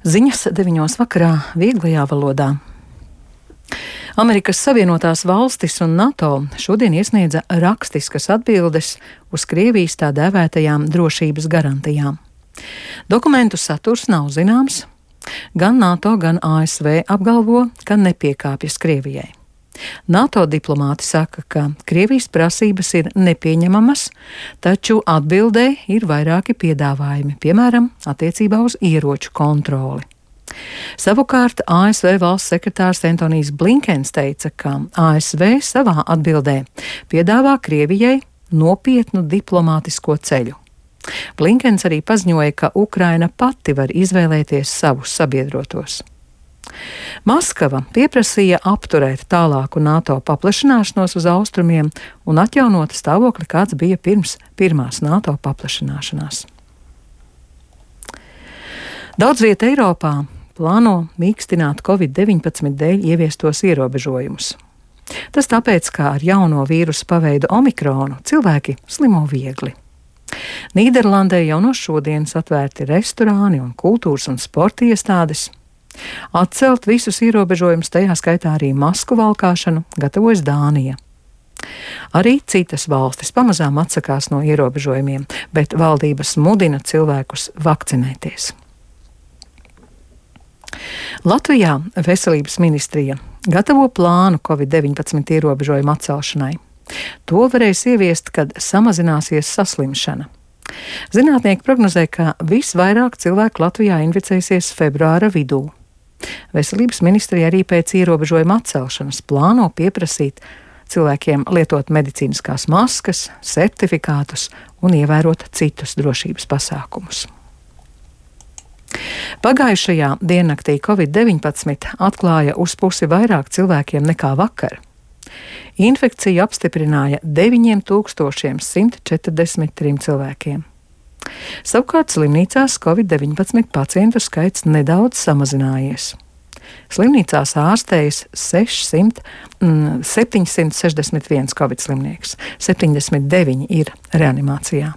Ziņas 9 vakarā vieglajā valodā. Amerikas Savienotās valstis un NATO šodien iesniedza rakstiskas atbildes uz Krievijas tā dēvētajām drošības garantijām. Dokumentu saturs nav zināms. Gan NATO, gan ASV apgalvo, ka nepiekāpjas Krievijai. NATO diplomāti saka, ka Krievijas prasības ir nepieņemamas, taču atbildē ir vairāki piedāvājumi, piemēram, attiecībā uz ieroču kontroli. Savukārt ASV valsts sekretārs Antonijs Blinkens teica, ka ASV savā atbildē piedāvā Krievijai nopietnu diplomātisko ceļu. Blinkens arī paziņoja, ka Ukraina pati var izvēlēties savus sabiedrotos. Maskava pieprasīja apturēt tālāku NATO paplašināšanos uz austrumiem un atjaunot stāvokli, kāds bija pirms pirmās NATO paplašināšanās. Daudz vieta Eiropā plāno mīkstināt Covid-19 dēļ ieviestos ierobežojumus. Tas tāpēc, ka ar jauno vīrusu paveidu omikronu cilvēki slimo viegli. Nīderlandē jau no šodienas atvērti restorāni un kultūras un sporta iestādes. Atcelt visus ierobežojumus, tajā skaitā arī masku valkāšanu, gatavojas Dānija. Arī citas valstis pamazām atsakās no ierobežojumiem, bet valdības mudina cilvēkus vakcinēties. Latvijā veselības ministrija gatavo plānu Covid-19 ierobežojumu atcelšanai. To varēs ieviest, kad samazināsies saslimšana. Zinātnieki prognozē, ka visvairāk cilvēku Latvijā inficēsies februāra vidū. Veselības ministrija arī pēc ierobežojuma atcelšanas plāno pieprasīt cilvēkiem lietot medicīniskās maskas, certifikātus un ievērot citus drošības pasākumus. Pagājušajā diennaktī Covid-19 atklāja uz pusi vairāk cilvēkiem nekā vakar. Infekciju apstiprināja 9143 cilvēkiem. Savukārt slimnīcās Covid-19 pacientu skaits nedaudz samazinājies. Slimnīcās ārstējas 761 Covid slimnieks, 79 ir reanimācijā,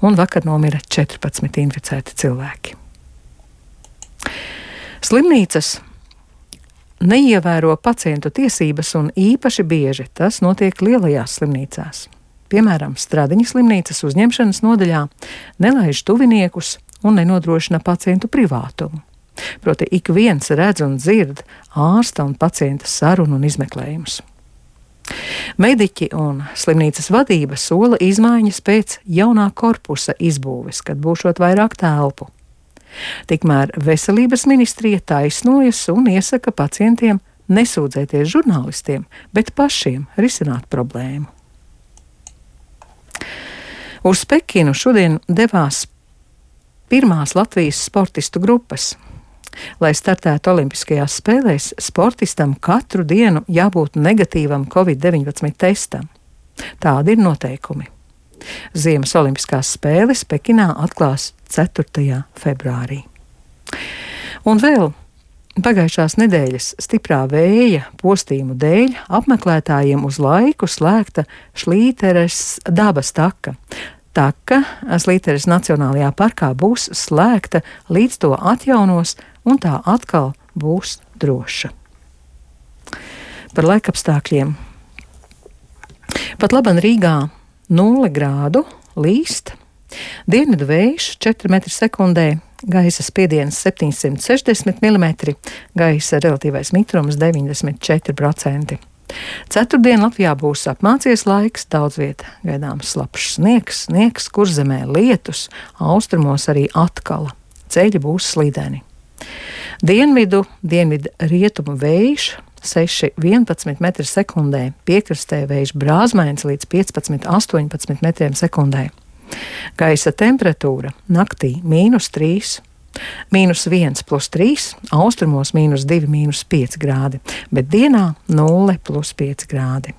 un vakar nomira 14 inficēti cilvēki. Slimnīcas neievēro pacientu tiesības un īpaši bieži tas notiek lielajās slimnīcās. Piemēram, Stradiņa slimnīcas uzņemšanas nodaļā nelaiž tuviniekus un nenodrošina pacientu privātumu. Proti ik viens redz un dzird ārsta un pacienta sarunu un izmeklējumus. Mediķi un slimnīcas vadība sola izmaiņas pēc jaunā korpusa izbūves, kad būšot vairāk telpu. Tikmēr veselības ministrija taisnojas un iesaka pacientiem nesūdzēties žurnālistiem, bet pašiem risināt problēmu. Uz Pekinu šodien devās pirmās Latvijas sportistu grupas. Lai startētu Olimpiskajās spēlēs, sportistam katru dienu jābūt negatīvam Covid-19 testam. Tādi ir noteikumi. Ziemas Olimpiskās spēles Pekinā atklās 4. februārī. Un vēl pagājušās nedēļas stiprā vēja postījumu dēļ apmeklētājiem uz laiku slēgta Šlīteres dabas taka. Taka Šlīteres Nacionālajā parkā būs slēgta, līdz to atjaunos, un tā atkal būs droša. Par laikapstākļiem. Pat laban Rīgā 0 grādu, līst, dienvidu vējš 4 m/sekundē, gaisa spiediens 760 mm, gaisa relatīvais mitrums 94%. Ceturtdien Latvijā būs apmācies laiks, daudz vieta gaidāms slapjš sniegs, Kurzemē lietus, austrumos arī atkala. Ceļi būs slīdeni. Dienvidu rietumu vējš 6–11 m/sekundē, piekrastē vējš brāzmains līdz 15–18 m/sekundē. Gaisa temperatūra naktī -3, -1 + 3, austrumos -2, -5 grādi, bet dienā 0 + 5 grādi.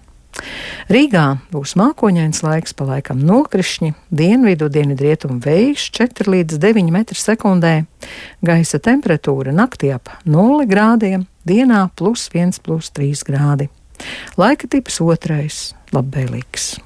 Rīgā būs mākoņains laiks, pa laikam nokrišņi, dienvidrietumu vējš 4–9 m/sekundē, gaisa temperatūra naktī ap 0 grādiem, dienā +1 + 3 grādi. Laika tips 2, labvēlīgs.